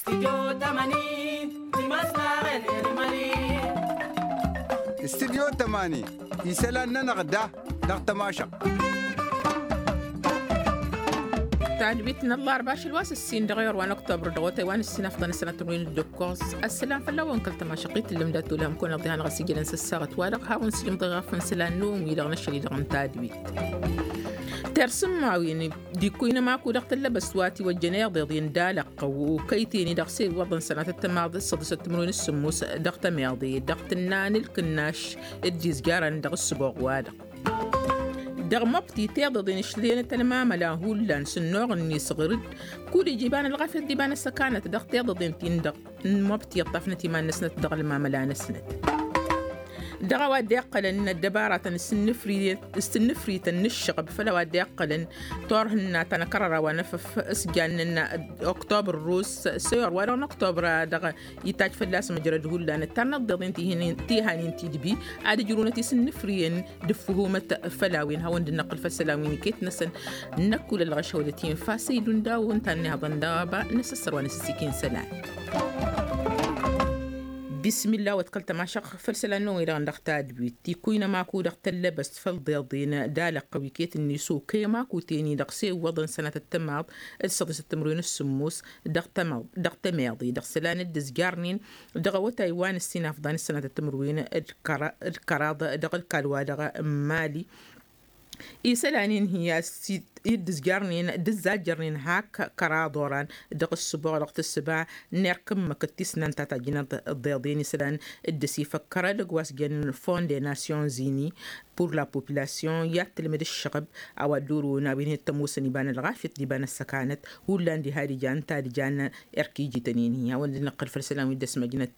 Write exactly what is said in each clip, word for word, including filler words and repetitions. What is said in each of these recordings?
Studyo tămani isălan-nănăɣ da dăɣ-tămašăɣt. Tadwit n-ăllarba ašăl wa s-ǝssin dăɣ-iɣăr wa n-oktobăr dăɣ-otay wa n-ǝssin afḍăn ăsănatăn wi n-ǝddǝkkos. Ăssălam fălla-wen kăl-tămašăɣt-i tǝllǝm dat-olăhăm kăwăn-iḍiha n-aɣăsijălăn s-ăssaɣăt-wa-dăɣ hawăn-sǝjǝmḍăy ɣafăn isălan-năwăn-wi-dăɣ n-ašăl-i-dăɣ n-tadwit. Terr sǝmmawen d-ikkuyǝn ămaku dăɣ-tăllăbăst wa tiwăjjăn iḍeḍ-in d-alăqqăw okăyten-i-dăɣ s-e-iwwăḍăn sănatăt tămaḍ d-săḍisăt timǝrwen s-sǝmmos dăɣ-tămiḍe dăɣ-tǝnna n-ǝlkǝnnaš d-izjărăn dăɣ-ǝssǝboɣ-wa-dăɣ. Dăɣ-măbti tiḍeḍen išlenăt ălmamăla hullan s-ănnuɣ-net ɣǝr-dd kud-ija iba n-ălɣafyăt d-iba n-ăssăkanăt dăɣ-tiḍeḍen-tin-dăɣ n-măbti ǝṭṭafnăt iman-năsnăt dăɣ-ălmamăla-năsnăt. Dăɣ-a-wa dd-iqqălăn ăddăbaratăn s-tǝnnǝfrităn n-ǝššăɣăb făll-a-wa dd-iqqălăn turhǝnna ta n-akărăra wa n-efăf s-jannen oktobăr ărrus s-ewăr wa dăɣ-n oktobăr a dăɣ-itaj fălla-s măjrăd hullan ǝttarnăt d-iḍen tihanin tidbi ad-ǝjrǝwnăt isǝnnǝfriyăn d-ǝffǝhumăt făll-a-wen hawăn-dd-năqqǝl făll-isălan wi n-iket-năsăn. Năkk wăla ălɣăšăwălăt infa s-e-idun daw-ǝnta a ănnihaḍăn dăɣ-aba n-asǝssăr wa n-asǝssikin isălan. Bismillah wa t-kăl-tămašăɣ făll-isălan-năwăn-i-dăɣ dăɣ-tadwit tikwǝynăm aku dăɣ-tăllăbăst făll-iḍeḍen d-alăqqăw iket-net okăyăm aku teni-dăɣ s-e-iwwăḍăn sănatăt tămaḍ d-săḍisăt timǝrwen s-sǝmmos dăɣ-tămiḍe dăɣ-isălan dd-ǝzjarnen dăɣ-awătay wa n-ǝssin afḍan s-sănatăt timǝrwen d-kăraḍ dăɣ-ǝlkall-wa-dăɣ n-mali. Isălan-in hi-ad-dd-ǝzjarnen d-ǝzzajjărnen hak kăraḍ oran dăɣ-ǝssǝboɣ dăɣ-tǝssǝba n-erk ǝmmǝk d-tisnant ta tajjǝnăt ǝḍḍeḍen isălan dd-ăsifăkkăr edăgg wa s-jănnen fond des nations unies pour la population i-ad-tǝlmǝd ǝššăɣăb a-wa dd-urǝwăn a-wen hi-ăttămoosăn iba n-ălɣafyăt d-iba n-ăssăkanăt hullan diha d-ijan ta d-ijan erk ijităn-in-hi hawăn-dd-năqqăl făll-isălan wi dd-ăsmăjnăt.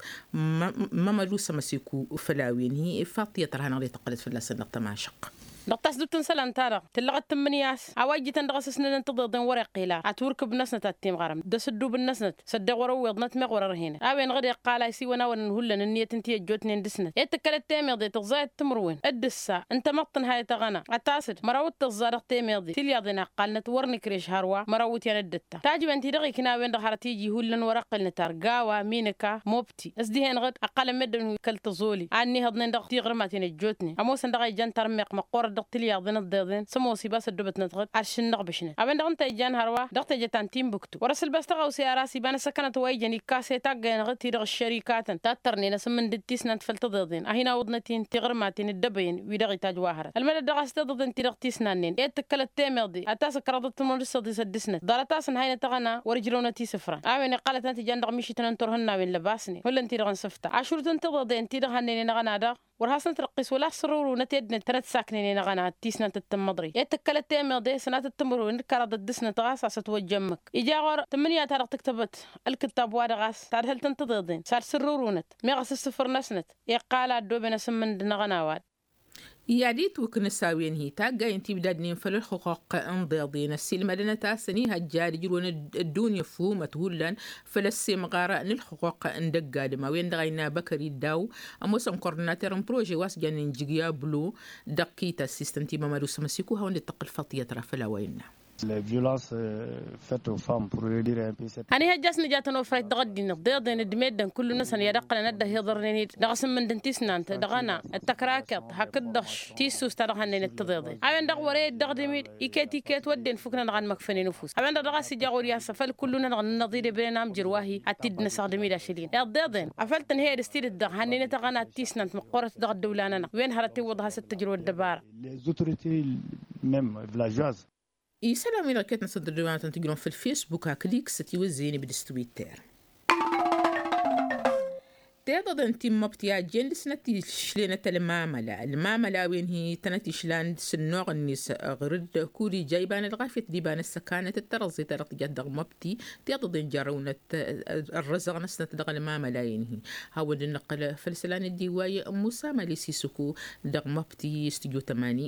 Mămădu s-ămăsiku făll-a-wen-hi ifaḍ tiyyăt tărha-năɣ dd-tăqqălăt fălla-săn dăɣ-tămašăɣt. Dăɣ-tasdut n-isălan-ta-dăɣ tǝllăɣăt tǝmmǝnǝya a-wa ijjǝtăn dăɣ-asǝsnădăn tiḍeḍen wăr-iqqila ătwǝrkǝb-năsnăt ad-timɣărăm d-asǝddub-năsnăt s-ăddeɣ wăr-ăwweḍnăt meɣ wăr-ărhinăt a-wen-dăɣ dd-iqqal a isiwăn-awăn n-hullan ǝnniyăt n-ti ăjjootnen dăɣ-snăt i-tǝkkălăt temeḍe tǝẓẓayăt timǝrwen d-ǝssa n-tamăḍt n-hayăt aɣăna ad-tasǝd măraw d-tǝẓẓa dăɣ-temeḍe tilyaḍen a ǝqqalnăt wăr nǝkrež hărwa măraw iwǝtyan d-ǝtta tajǝwen-ti-dăɣ ikna a-wen-dăɣ hărăt iji hullan wăr-ăqqǝlnăt ar gawa minǝka mobti s-dihen-dăɣ ăqqalăn meddǝn wi kăl-tăẓoli a ǝnnihăḍnen dăɣ-tiɣrǝmaten ăjjootnen ămoosăn dăɣ-a ijan tarmiɣt măqqoorăt dăɣ-tilyaḍen ǝḍḍeḍen s-ămoos ibas ăddoobătnăt dăɣ-t ad-šǝnnăɣbǝšnăt a-wen-dăɣ ǝnta a ijan hărwa dăɣ-teje ta n-timbuktu wăr-ăsǝlbas tăɣawse ar a-s iba n-ăssăkănăt wa ijăn ikkas i-taggăyăn dăɣ-ti-dăɣ ăššărikatăn ta t-tărnen asǝmmǝn d-tisnant făll-tiḍeḍen a hin-awǝḍnăt-in tiɣrǝmaten ǝddăbăyăn wi-dăɣ itaj wa hărăt ălmădăt dăɣ-a-s tiḍeḍen-ti-dăɣ tisnannen i-tǝkkălăt temeḍe ad-tasǝkrăḍăt timǝrwen d-săḍisăt dăɣ-snăt ḍarăt-asăn haynăt aɣăna wăr-ǝjrăwnăt isǝfran a-wen iqqălătnăt ijan dăɣ-mišităn n-turhǝnnawen lăbasnen hullan-ti-dăɣ n-sǝfta ašrut n-tiḍeḍen-ti-dăɣ hannăynen aɣăna daɣ wăr hasnăt răqqis wăla ăssărrăwrǝwnăt i-ăddinăt tănăt-saknăynen aɣăna d-tisnant d-tǝmmăḍrit i-tǝkkălăt temeḍe sănatăt timǝrwen d-kăraḍăt dăɣ-snăt ɣas a-s ătwăjja ǝmmǝk ija ɣur-tǝmmǝnǝya-ta-dăɣ tǝktăbăt ălkǝttab-wa-dăɣ a-s tadhǝlt n-tiḍeḍen s-ad-sǝrrǝwrǝwnăt meɣ asǝssǝfǝr-năsnăt iqqal a ăddooben asǝmmǝn d-năɣăna wa-dăɣ. I-ad-itwǝknǝs a-wen-hi taggayen ti ibdadnen făll-ălxuquq n-iḍeḍen ăssiilmădănăt-asăn ihăjja ad-ǝjrǝwăn ăddunya ăfhumăt hullan făll-ăssemɣar n-ălxuquq n-dăgg-adǝm a-wen-dăɣ a innă băkări daw ămoosăn kordinater n-prože wa s-jannen jǝgya blo dăɣ-kita s-istăn timămad usăm ăsiku hawăn-dd-tăqqǝl faḍt iyyăt ra făll-a-wa innă. Ănihăjja a-s nǝja tănofrayt dăɣ-ăddinăt d-iḍeḍen d-meddǝn kullu-năsăn i-ad-ǝqqǝlăn ad-dd-ăhiḍărnen-dd dăɣ-asǝmmǝnd n-tisnant dăɣ-ăna d-tăkrakeḍt hakd-dăɣ tissust ta dăɣ-hannăynăt tiḍeḍen a-wen-dăɣ wăr-e dd-ăɣdǝm-dd iket-iket wădden fuknăn dăɣ-anmăkfănen ufus a-wen-dăɣ dăɣ-a-s ija ɣur-i a-s afăl kullu-nănăɣ n-inăḍ idebren amjăr wa-hi ad-t-dd-năsăɣdǝm-dd ašăl-in iḍeḍen afăl tǝnhăyăd s-tidǝt dăɣ-hannăynăt aɣăna d-tisnant măqqoorăt dăɣ-ăddăwla-nănăɣ wen hărăt iwwăḍ has-ăttăjrăw ăddăbara. Les autorités même villageoises. Isălan-wi-dăɣ iket-năsăn tăddăwla-năsăn tǝjrǝwăn făll-facebook hakd x ătiwăzzeyăn ǝbdǝs twitter. Tiḍăḍen ti n-măbti a ăjjeen dăɣ-snăt išlenăt ălmamăla ălmamăla a-wen hi-tănăt išlan s-ănnuɣ-net ɣur-dd kud-ija iba n-ălɣafyăt d-iba n-ăssăkanăt d-tărăẓẓe ta dăɣ-tijat dăɣ-măbti. Tiḍăḍen jarrăwnăt ărrăzăɣ-năsnăt dăɣ-ălmamăla a-wen hi hawăn-dd-năqqǝl făll-isălan dd-iwway musa mali sisǝku dăɣ-măbti studyo tămani.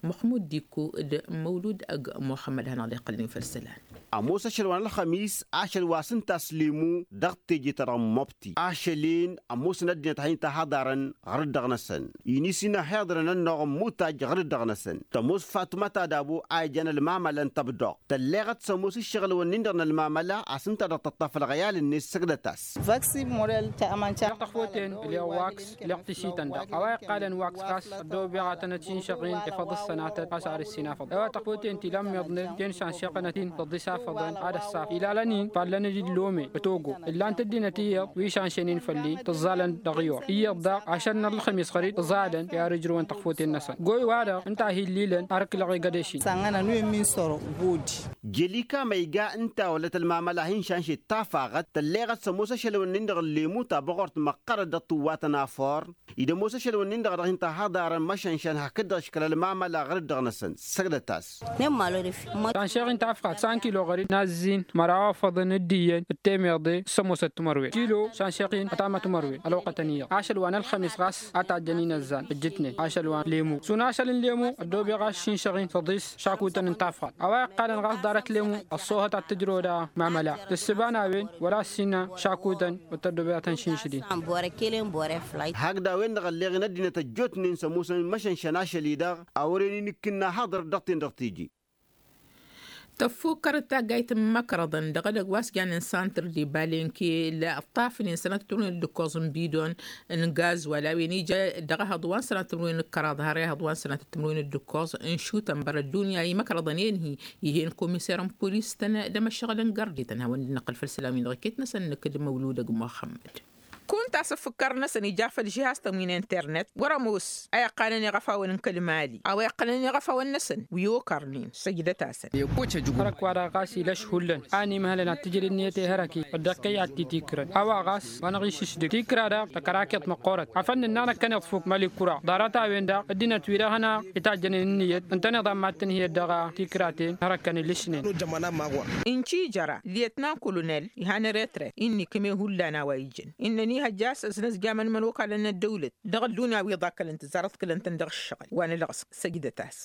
Măxmud dikku d-măwlud ăgg muxămmăd hanăɣ-dd-iqqălăn făll-isălan. Ămoos ašăl wa n-ălxămis ašăl wa s-ǝnta a-s limu dăɣ-teje-ta-dăɣ n-măbti. Ălin ămoosăn ăddinăt a hin-tahaḍarăn ɣur-dd dăɣ-năsăn. Inisǝnna hiḍrăn ănnuɣ n-imutaj ɣur-dd dăɣ-năsăn. Tămoos fatuma ta dabo a ijan ălmamăla n-tăbdoɣt tălleɣăt s-ămoos ǝššăɣǝl-wǝnnin-dăɣ n-ălmamăla a-s ǝnta-dăɣ tăṭṭaf ălɣăyal-net săgdăt-as. Vaksi model ta amănca. Tăxfoten ǝlleɣ waks ǝlleɣ tisitan-dăɣ a-wa iqqalăn waks ɣas ăddoobeɣ ad-tănăt-inšăɣ-in efăḍ ǝssănatăt ɣas ar ǝssin afăḍăn a-wa tăxfoten ti lămmiḍnen ten šanšeɣ-tănăt-in tăḍḍis afăḍăn ad-ăssaf ilalăn-in fallăn-dd lomen ătogo ǝllan-t ăddinăt iyyăḍ wi šanšen-in făll-i tǝẓẓalăn dăɣ-iwăr iyyăḍ daɣ ašăl n-ălxămis ɣăr-dd ǝẓadăn i-ar ǝjrǝwăn tăxfoten-năsăn goy-wa-dăɣ ǝnta a hi-ǝllilăn ar ǝklăɣ egădeš-in. Sănɣănăn wi n-min săro bodi. Jelika ma iga ǝnta wălăt ălmamăla hin-šanšet tafaɣăt tălleɣăt s-ămoos ašăl-wǝnnin-dăɣ n-lemu ta băɣort măqqărăt dăɣ-tǝwwatăn afur. Id-ămoos ašăl-wǝnnin-dăɣ a dăɣ-hin-tahaḍarăn măšănšăn hakd-dăɣ ǝškăl ălmamăla ɣur-dd dăɣ-năsăn săgdăt-as. Šanšeɣ-in tafɣat san kilo ɣăr-dd n-azzin măraw afăḍăn d-iyyăn d-temeḍe s-ămoosăt timărwen kilo šanšeɣ-in ătamăt timărwen ălwăqqătăn iyyăḍ ašăl wa n-ălxămis ɣas a tajjăn inăzzan ǝjjǝtnen ašăl wa n-lemu sun ašăl n-lemu ăddoobeɣ a-s šinšăɣ-in tăḍis šakutăn n-tafɣat a-wa iqqalăn ɣas ḍarăt lemu ăṣṣoohăt ad-tǝjrăwăd amamăla tǝssǝba n-a-wen wăla ăssiinna šakutăn wăr tăddobeḍ ad-tăn-šinšǝd-in. Hakd a-wen-dăɣ ălleɣ-in ăddinăt ăjjootnen s-ămoosăn măšănšăn ašăl-i-dăɣ a wăren inǝkkǝnna haḍăr dăɣ-ten-dăɣ teje. Tăffukkăr d-taggayt n-imăkrăḍăn dăɣ-edăgg wa s-jannen santăr d-ibalenke la ǝṭṭafnen sănatăt timǝrwen d-ǝkkoẓ n-bidon n-gazwal a-wen ija dăɣ-ehăḍ wa n-sănatăt timǝrwen d-kăraḍ har ehăḍ wa n-sănatăt timǝrwen d-ǝkkoẓ n-išutăn bărăt dunya imăkrăḍăn enhi. Ih'-en komiser n-polis-tăn d-emăššăɣǝl n-gărde-tăn hawăn-dd-năqqǝl făll-isălan-win-dăɣ iket-năsăn nǝkǝd măwlud ăgg muxămmăd. Kunta asǝffǝkkăr-năsăn ija făll-žihaz-tăn wi n-internet wăr-ămoos a iqqanăn iɣăfawăn n-kăl-mali a-wa iqqălăn iɣăfawăn-năsăn wi okărnen săjdăt-asăn. Hărăk-wa-dăɣ ɣas ilăš hullan a ănimhălăn ad-tǝjǝd ǝnniyăt i-hărăk-i ăddăkkăy ad-t-tikǝrăn a-wa ɣas wa năɣ-išǝšdǝg tikra-dăɣ tăkărakeḍt măqqoorăt afăl nǝnna năkkăneḍ fuk mali kura ḍarăt-a-wen-dăɣ ăddinăt-wi-dăɣ hanăɣ-itajjănen ǝnniyăt ǝntăneḍ a mad-tǝnhǝyăt dăɣ-tikra-ten hărăkkăn ilǝšnen. Ǝnci jăra lyetnan kolonel ihan retret-i n-ikǝme hullan a-wa ijăn innăn ihăjja a-s ăznăzjamăn imănokalăn n-ăddăwlăt dăɣ-ăddunya wi ḍakkălăn tǝzzarăḍ kălăn-tăn dăɣ-ǝššăɣǝl wa nǝlɣăs. Săjdăt-as.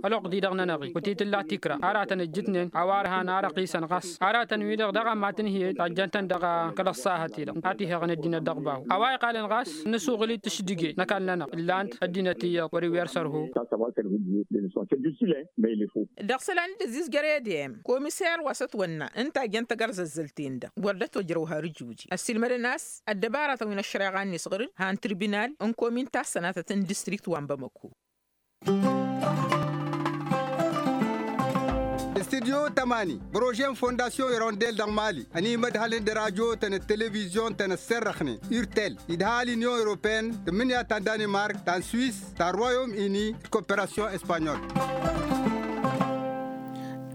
Ălwăqq-di-dăɣ-nănăɣ-i wăr t-tǝlla tikra aratăn ǝjjǝtnen a-wa ărhan arăqisăn ɣas aratăn-wi-dăɣ daɣ a mad-tǝnhǝyăt tajjăn-tăn dăɣ-kăl-ăṣṣahăt-i-dăɣ. Ad-t-ihăɣăn ăddinăt dăɣ-bahu a-wa iqqalăn ɣas nǝsuɣǝl-dd tǝšdǝge n-ăkall-nănăɣ ǝllan-t ăddinăt iyyăḍ wăr-iwǝyăr sărhu. Dăɣ-isălan d-ăzzizjăr edem komiser wa s-ătwănna ǝnta a jăn tagărzăzzălt-en-dăɣ wăr dd-ătojrăw har ǝjuji ăssiilmădăn a-s ăddăbaratăn wi n-ăššăreɣa-net ɣur-dd han tirbinal n-komin ta s-sănatăt n-distrikt wa n-bamăko. Studyo tămani prože n-fondasyon irondel dăɣ-mali ănimădhălăn d-radyo-tăn d-televizyon-tăn ăsserrăxnen urtel idha l-inyon europeen tǝmmǝnǝya ta n-danimark ta n-swis ta n-royom ini d-koperasyon espanyol.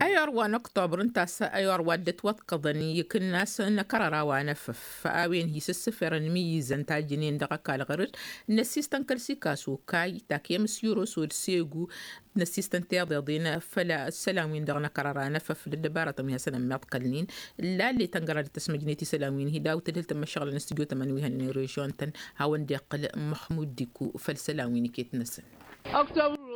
Ayor wa n-oktobăr ǝnta a-s ayor wa dd-ătwăḍkăḍăn ikǝnnas n-akărăra wa n-efăf a-wen hi-sǝssǝferăn imǝyyǝzăn tajjǝnen dăɣ-ăkall ɣur-dd n-ăssistăn kăl-sikas okay takǝyăm s-yurosod segu n-ăssistăn tiḍeḍen făll-isălan-win-dăɣ n-akărăra n-efăf d-ăddăbarătăn wi hasăn-ămmiḍkălnen. Lallet ăngăra dd-tăsmăjnet isălan-win hi-dawt tǝdhǝl tămmăššăɣǝlăn s-tijotămăn wi hănen režion-tăn hawăn-dd-iqqǝl măxmud diku făll-isălan-win iket-năsăn.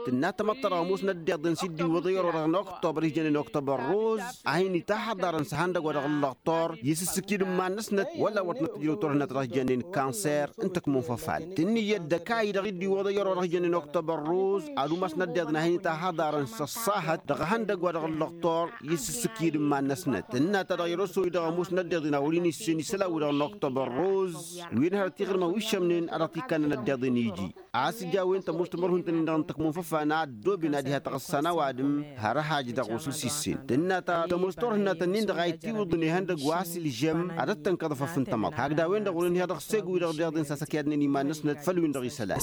Tǝnna tamăḍt ta dăɣ-ămoosnăt d-iḍen s-dd-iwwăḍ i-ăror dăɣ-năɣ oktober ijănen oktober roz a hin-itahăḍarăn s-ihăndăgg wa dăɣ-ǝllăɣ tor i-sǝssǝkid n-iman-năsnăt wăla wăr tănăt-tǝjrăw turhǝnat dăɣ-s jănnen kanser n-tăkmon făfal tǝnnǝyăt d-ăkayy-dăɣ i dd-iwwăḍ i-ăror dăɣ-s jănnen oktober roz ad-umasnăt d-iḍen a hin-itahăḍarăn s-ăṣṣahăt dăɣ-ihăndăgg wa dăɣ-ǝllăɣ tor i-sǝssǝkid n-iman-năsnăt tǝnna-ta-dăɣ i-ărosăwăy dăɣ-ămoosnăt d-iḍen a wăr-in-issen isălan wi-dăɣ n-oktober roz wi n-hărăt iɣrǝmăn wi šămnen a dăɣ-t-ikkannănăt d-iḍen iji a-s ija a-wen tămoos timărhun-tăn-in-dăɣ n-tăkmon făfan a ăddooben ad-iha taɣǝssa n-ăwadǝm har ăhaj dăɣ-osǝs issen tǝnna ta tămoos turhǝnat-ǝnnin-dăɣ a ittiwǝḍnen ihăndăgg wa s-ilžăm ad-ăttănkăḍ afăf n-tamăḍt hakd a-wen-dăɣ wăren iha dăɣ-segu-i-dăɣ d-iḍen s-asăkyadnen iman-năsnăt făll-win-dăɣ isălan.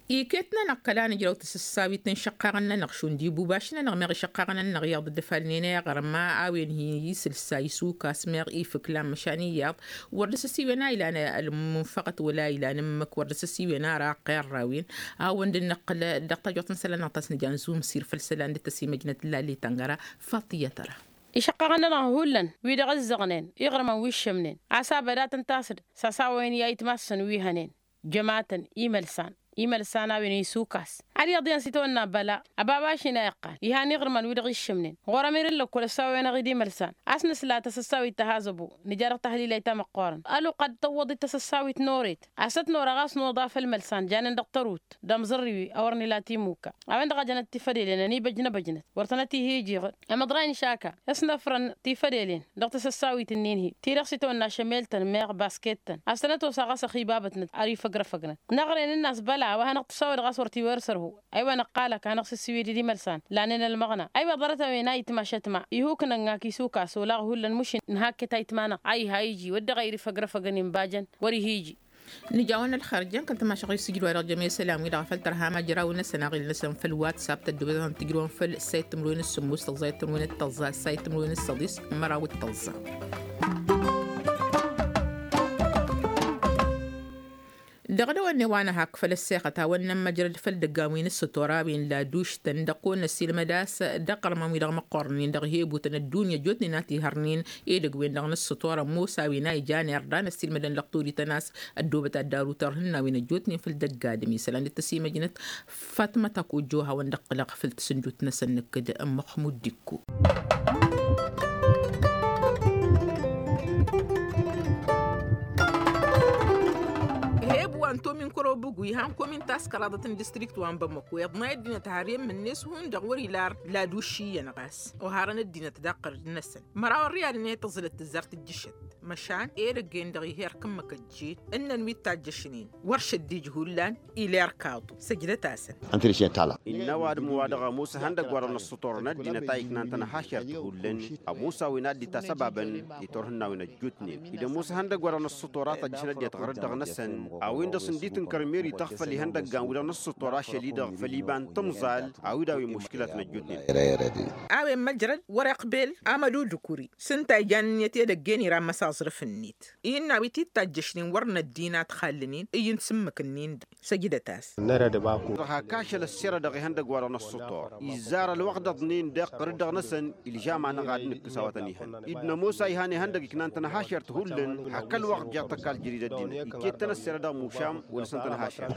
Iket-nănăɣ kăla nǝjrăw tasǝssawit n-išăqqaɣăn-nănăɣ šund ibubaš-nănăɣ meɣ išăqqaɣăn-nănăɣ iyyăḍ dd-ăfalnen eɣrǝm a-wen hi-isǝlsa isukas meɣ ifǝklan măšan iyyăḍ wăr dăr-s ăsiwen a ilan ălmunfăɣăt wăla ilan ǝmmǝk wăr dăr-s ăsiwen ara ăqqerrawen. Hawăn-dd-năqqǝl dăɣ-tajăwt n-isălan-năɣ ta s-nǝja n-zumsir făll-isălan dd-tăsimăjnăt lalli tăngăra. Faṭiyăt ăra. Išăqqaɣăn-nănăɣ hullan wi dăɣ-ǝzzăɣnen iɣrǝmăn wi ǝššămnen a-s abăd ad-tăn-tasǝd s-asawăyăn i-ayǝtmas-săn wi hănen jămatăn imălsan. imălsan a-wen isukas. Ad-iyyăḍ iyyăn s-itawănna băla ăbabaš-in a iqqan ihan iɣrǝman wi-dăɣ iššǝmnen ɣur-ămirăn lăkkol ăssawăyăn-aɣ-dd imălsan. A-s nǝsla tasăssawit ta hazăbo nǝja dăɣ-tahlilay ta măqqoorăn ăluqq ad-tăwwăḍ-dd tasăssawit n-oret. A-s tăt-nora ɣas n-oḍa făll-imălsan janen dăɣ-tărut d-amẓărriwi a wăren ila timuka. A-wen-dăɣ a jănăt tifădelen ănibăjnăbăjnăt wăr tănăt-ihi ijiɣăd. Amăḍray n-išaka s-năfrăn tifădelen dăɣ-tasăssawit-nin-hi ti-dăɣ s-itawănna šămel-tăn meɣ basket-tăn a-s tănăt-osa ɣas ăxibabătnăt ar ifăgrăfăgnăt. Năɣrăyăn ǝnnas băla a-wa hanăɣ-tǝssawăd ɣas wăr t-iwăr sărhu. Aywa năqqalăk hanăɣ-sǝssiwǝy d-imălsan lanen ălmăɣna aywa ḍarăt-a-wen a itma šătma. Ihuk n-ănnak isukasolaɣ hullan mušin n-hakke ta itma-năɣ a iha iji wăr dăɣ-a irifăgrăfăgăn inbajăn. Wăr-ihi iji. Nǝjawăn ălxer jăn kăl-tamašăɣ isǝjǝd wa dăɣ-jămesălam-wi-dăɣ a făl tărha majraw-năsăn aɣil-năsăn făll-whatsapp tăddobăt ad-tǝjrǝwăn făll-sayt timǝrwen s-sǝmmos tăẓẓa i-timǝrwen d-tăẓẓa sayt timǝrwen s-săḍis. Măraw d-tăẓẓa. Dăɣ-dăwănne wa nǝhak făll-ăssexăt hawăn-nămmăjrăd făll-idăggan wi n-ǝssǝtor a-wen laduš-tăn dăɣ-kăwăn-năssiilmăd a-s dăɣ-iɣrǝmăn-wi-dăɣ măqqornen dăɣ-hebutăn ăddunya jotnen a t-ihărnen edăgg-wen-dăɣ n-ǝssǝtor ămoos a-wen a ijan irda năssiilmădăn lăqtorităn a-s ăddoobăt ad-daru tărhǝnnawen ăjjootnen făll-idăgg adǝm isălan d-tăsimăjnăt. Fatmăt akojjo hawăn-dd-ăqqǝlăɣ făll-tasǝndut-năsăn nǝkkǝd n-măxmud dikko. Heb wa n-tomin kărobugu ihan komin taskăraḍăt n-distrikt wa n-bamăko iḍnay ăddinăt har i-ǝmmǝnnes hundăɣ wăr-ila ar laduš iyyăn ɣas oharăn ăddinăt daɣ qărǝd-năsăn. Măraw ărriyalăn i-tăẓǝlăt tǝzzar tǝjjǝšăt măšan edăgg-en-dăɣ ih'-erk ǝmmǝk ăjjeen ǝnnăn wi t-tajjăšnen wăr šăddij hullan. Iler kaḍu săjdăt-asăn. Ǝnta d-išnen tala. Innă ăwadǝm wa dăɣ-ămoos ihăndăgg wa dăɣ-năssǝtor n-ăddinăt a iknan tănhašert hullan. Ămoos a-wen ad-dd-itasăbabăn i-turhǝnnawen ăjjootnen id-ămoos ihăndăgg wa dăɣ-năssǝtor a tăjjăšăn ăddinăt ɣărăt dăɣ-năsăn a-wen-dăɣ s-ǝnditǝnkăr meri tăɣfăl ihăndăggan wi dăɣ-năssǝtor ašăl-i-dăɣ făll-iba n-tǝmẓal. A-wi d-a-wen muškǝlat n-ăjjootnen. A-wen măjrăd wăr-iqbel amădu d-ukuri s-ǝnta ijan ǝnniyăt edăgg-en ira n-măsa aẓrǝf-net. Innă a-wi t-tajjăšnen wăr năddin ad-t-xallǝnen ǝyyǝn s-ǝmmǝk-nin-dăɣ. Săjdăt-as. Hak ašăl ăssirădăɣ ihăndăgg wa dăɣ-năssǝtor izzar ălwăqq d-aḍnen dăɣ-qărǝd-dăɣ-năsăn ilžam-anăɣ ad-nǝkkǝs a-wa tăn-ihăn id-nămoos a ihan ihăndăgg iknan tănhašert hullan. Hak ălwăqq jeɣ tăkall jăridăt-dăɣ iket-tăn ăssirădăɣ mušam wăla s-ăntănhašert.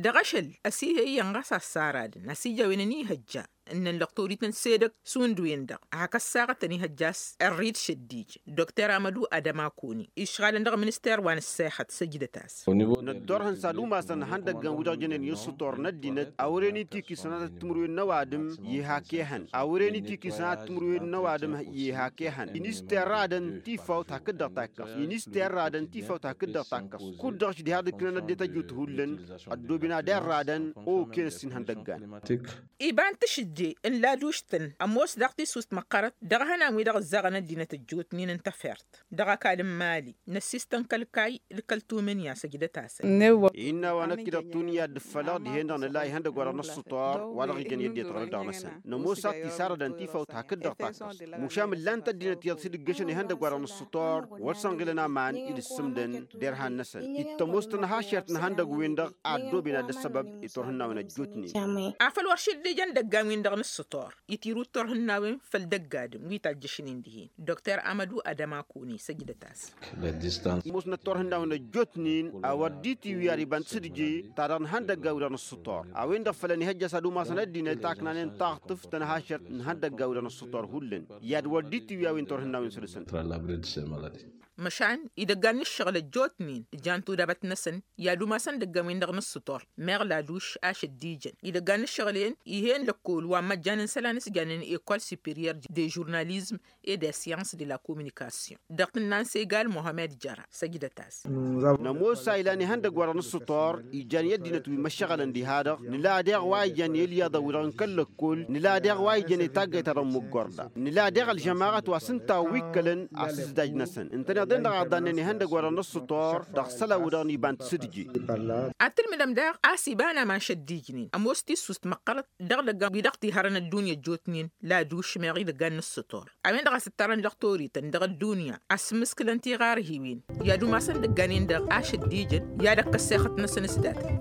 Dăɣ-ašăl ăsihe iyyăn ɣas a-s saradăn a-s ija a-wen ănihăjja ǝnnăn lăqtorităn s-edăgg šund-wen-dăɣ hak ăssaɣătăn ihăjja a-s ărrid šăddij. Dokter amădu adămakoni išɣalăn dăɣ-minister wa n-ǝssexăt săjdăt-as. Năddorhăn s-ad-umasăn ihăndăggăn wi-dăɣ jănen i-ǝssǝtor n-ăddinăt a wăren itikisăn ad-tǝmrǝwen n-ăwadǝm. Ihak ehăn a wăren itikisăn ad-tǝmrǝwen n-ăwadǝm. Ihak ehăn inisterradăn tifawt hakd-dăɣ takkăs inisterradăn tifawt hakd-dăɣ takkăs. Kud-dăɣ š-diha d-ǝknăn ăddinăt ăjut hullan ăddobin ad-erradăn. Oken ăssin ihăndăggan. Iba n-tašǝjje n-laduš-tăn ămoos daɣ tisust măqqărăt dăɣ-ihănan wi-dăɣ ǝzzaɣăn ăddinăt ăjjootnen n-tafert dăɣ-ăkall n-mali. Năssiistăn kăl-kayy d-kăl-tumǝnya săjdăt-asăn. Innă a-wa năkk-i-dăɣ tunya dd-ǝffălăɣ dihen-dăɣ nǝla ihăndăgg wa dăɣ-năssǝtor wa dăɣ-ijăn i-ăddinăt ɣărăt dăɣ-năsăn nămoos a t-isarădăn tifawt hakd-dăɣ takkăst. Mušam ǝllan-t ăddinăt iyyăḍ s-dd-ǝggăšăn ihăndăgg wa dăɣ-năssǝtor wăr săn ɣilăn aman id-ǝssǝmdăn. D-erhan-năsăn dd-tămoos tănhašert n-ihăndăgg-wen dăɣ-a ăddooben ad-dd-ăssăbăb i-turhǝnnawen ăjjootnen. Afăl wăr šăddijăn idăggan-win-dăɣ n-ǝssǝtor itirǝw turhǝnnawen făll-idăgg adǝm wi tajjăšnen dihen. Dokter amădu adămakoni săjdăt-as. Musnăt turhǝnnawen ăjjootnen a wăr dd-itiwǝy ar iba n-tisǝdje ta dăɣ-nǝhăndăgga wi-dăɣ nǝssǝtor a-wen-dăɣ fălăn ihăjja s-ad-umasăn ăddinăt a ǝknanen taɣtǝft tănhašărt n-ihăndăgga wi-dăɣ nǝssǝtor hullan. I-ad-wăr dd-itiwǝy a-wen turhǝnnawen săr-săn. Măšan idăggan n-ǝššăɣǝl ăjjootnen ǝjan tudabăt-năsăn i-ad-umasăn idăggan-win-dăɣ nǝssǝtor meɣ laduš ašăddijăn idăggan n-ǝššăɣǝl-en. Ih'-en lăkkol wa n-măjjan n-isălan s-janen ekol superior de žurnalizm et de science de la communication dăɣ-tǝnna n-segal mohamed jăra săjdăt-as. Nămoos a ilan ihăndăgg wa dăɣ-nǝssǝtor ijan i-ăddinăt wi măššăɣălăn diha-dăɣ nǝla deɣ wa ijăn i-ălyaḍăn-wi-dăɣ n-kăl-lăkkol nǝla deɣ wa ijăn i-taggayt ta dăɣ-măggorda nǝla deɣ ălžămaɣăt wa s-ǝnta a wi ǝkkălăn asǝzdaj-năsăn ǝntăneḍ-en-dăɣ a ǝḍannen ihăndăg wa dăɣ-năssǝtor dăɣ-isălan-wi-dăɣ n-iba n-tisǝdje. Ad-tǝlmǝdăm daɣ a-s iba n-aman šăddijnen ămoos tissust măqqărăt dăɣ-idăggan wi dăɣ-tihărăn ăddunya ăjjootnen laduš meɣ idăggan n-ǝssǝtor a-wen-dăɣ a-s ǝttarăn lăqtorităn dăɣ-ăddunya asǝmmǝskǝlăn tiɣarhiwen i-ad-umasăn idăggan-in-dăɣ ašăddijăn i-ad-ăkk ăssexăt-năsăn s-datăn.